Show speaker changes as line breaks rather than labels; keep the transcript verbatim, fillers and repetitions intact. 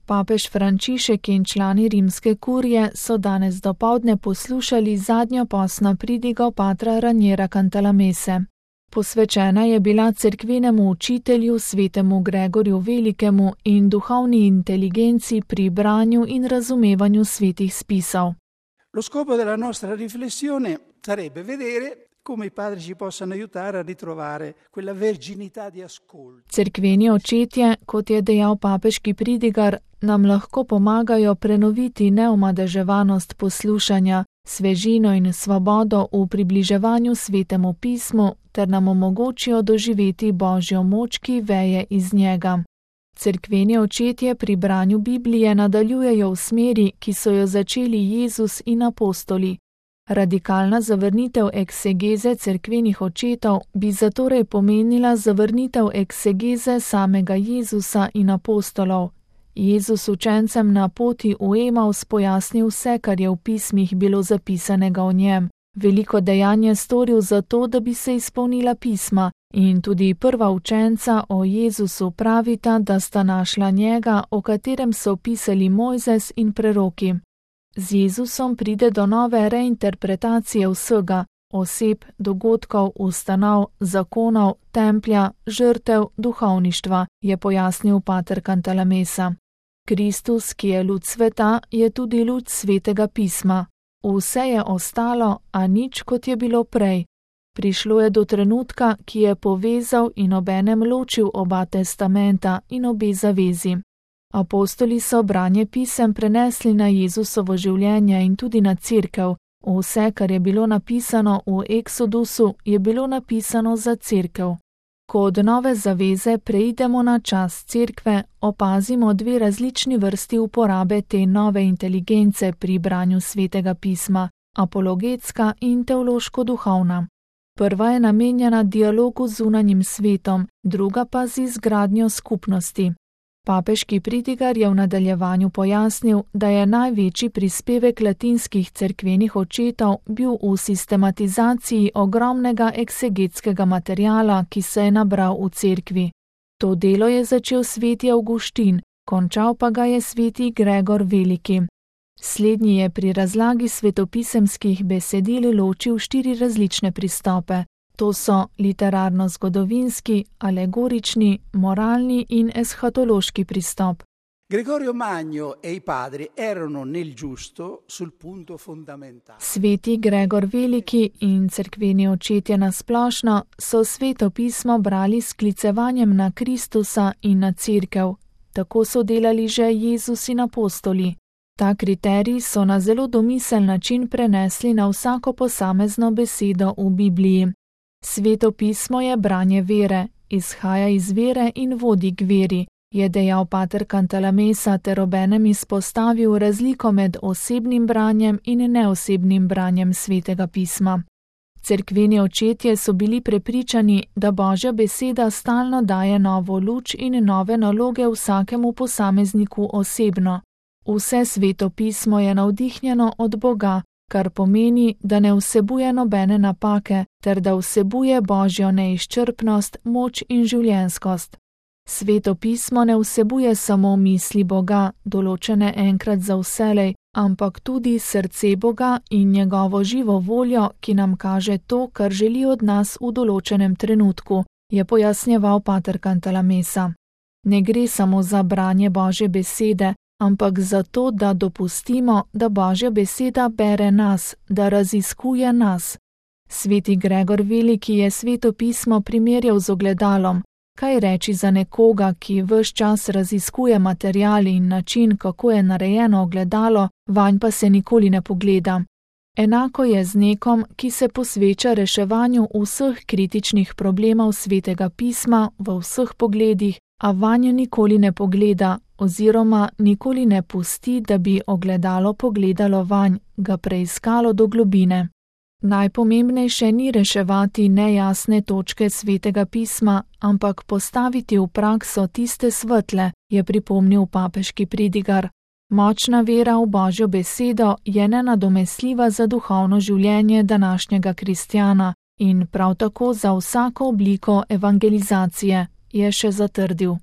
Papež Frančišek in člani rimske kurije so danes dopoldne poslušali zadnjo postno pridigo patra Raniera Cantalamesse. Posvečena je bila cerkvenemu učitelju svetemu Gregorju Velikemu in duhovni inteligenci pri branju in razumevanju svetih spisov.
Lo scopo della nostra riflessione sarebbe vedere come i padri ci possano aiutare a ritrovare quella verginità di ascolto.
Cerkveni očetje, kot je dejal papeški pridigar, nam lahko pomagajo prenoviti neomadeževanost poslušanja, svežino in svobodo v približevanju svetemu pismu ter nam omogočijo doživeti Božjo moč, ki veje iz njega. Cerkveni očetje pri branju Biblije nadaljujejo v smeri, ki so jo začeli Jezus in apostoli. Radikalna zavrnitev eksegeze cerkvenih očetov bi zatorej pomenila zavrnitev eksegeze samega Jezusa in apostolov. Jezus učencem na poti v Emaus pojasnil vse, kar je v pismih bilo zapisanega o njem. Veliko dejanj je storil zato, da bi se izpolnila pisma, in tudi prva učenca o Jezusu pravita, da sta našla njega, o katerem so pisali Mojzes in preroki. Z Jezusom pride do nove reinterpretacije vsega, oseb, dogodkov, ustanov, zakonov, templja, žrtev, duhovništva, je pojasnil pater Cantalamessa. Kristus, ki je luč sveta, je tudi luč svetega pisma. Vse je ostalo, a nič, kot je bilo prej. Prišlo je do trenutka, ki je povezal in obenem ločil oba testamenta in obe zavezi. Apostoli so branje pisem prenesli na Jezusovo življenje in tudi na cerkev. Vse, kar je bilo napisano v Eksodusu, je bilo napisano za cerkev. Ko od nove zaveze preidemo na čas cerkve, opazimo dve različni vrsti uporabe te nove inteligence pri branju svetega pisma, apologetska in teološko-duhovna. Prva je namenjena dialogu z zunanjim svetom, druga pa z izgradnjo skupnosti. Papeški pridigar je v nadaljevanju pojasnil, da je največji prispevek latinskih cerkvenih očetov bil v sistematizaciji ogromnega eksegetskega materiala, ki se je nabral v cerkvi. To delo je začel sveti Avguštin, končal pa ga je sveti Gregor Veliki. Slednji je pri razlagi svetopisemskih besedil ločil štiri različne pristope. To so literarno-zgodovinski, alegorični, moralni in eshatološki pristop.
Gregorio Magno e i padri erano nel giusto sul punto fondamentale.
Sveti Gregor Veliki in cerkveni očetje nasplošno so sveto pismo brali s sklicevanjem na Kristusa in na cerkev. Tako so delali že Jezus in apostoli. Ta kriterij so na zelo domisel način prenesli na vsako posamezno besedo v Bibliji. Sveto pismo je branje vere, izhaja iz vere in vodi k veri, je dejal pater Cantalamessa ter obenem izpostavil razliko med osebnim branjem in neosebnim branjem svetega pisma. Cerkveni očetje so bili prepričani, da Božja beseda stalno daje novo luč in nove naloge vsakemu posamezniku osebno. Vse sveto pismo je navdihnjeno od Boga, kar pomeni, da ne vsebuje nobene napake, ter da vsebuje Božjo neizčrpnost, moč in življenskost. Sveto pismo ne vsebuje samo misli Boga, določene enkrat za vselej, ampak tudi srce Boga in njegovo živo voljo, ki nam kaže to, kar želi od nas v določenem trenutku, je pojasnjeval pater Cantalamessa. Ne gre samo za branje Božje besede, ampak zato, da dopustimo, da Božja beseda bere nas, da raziskuje nas. Sveti Gregor Veliki je sveto pismo primerjal z ogledalom. Kaj reči za nekoga, ki ves čas raziskuje material in način, kako je narejeno ogledalo, vanj pa se nikoli ne pogleda. Enako je z nekom, ki se posveča reševanju vseh kritičnih problemov svetega pisma v vseh pogledih, a vanj nikoli ne pogleda oziroma nikoli ne pusti, da bi ogledalo pogledalo vanj, ga preiskalo do globine. Najpomembnejše ni reševati nejasne točke svetega pisma, ampak postaviti v prakso tiste svetle, je pripomnil papeški pridigar. Močna vera v Božjo besedo je nenadomestljiva za duhovno življenje današnjega kristjana in prav tako za vsako obliko evangelizacije, je še zatrdil.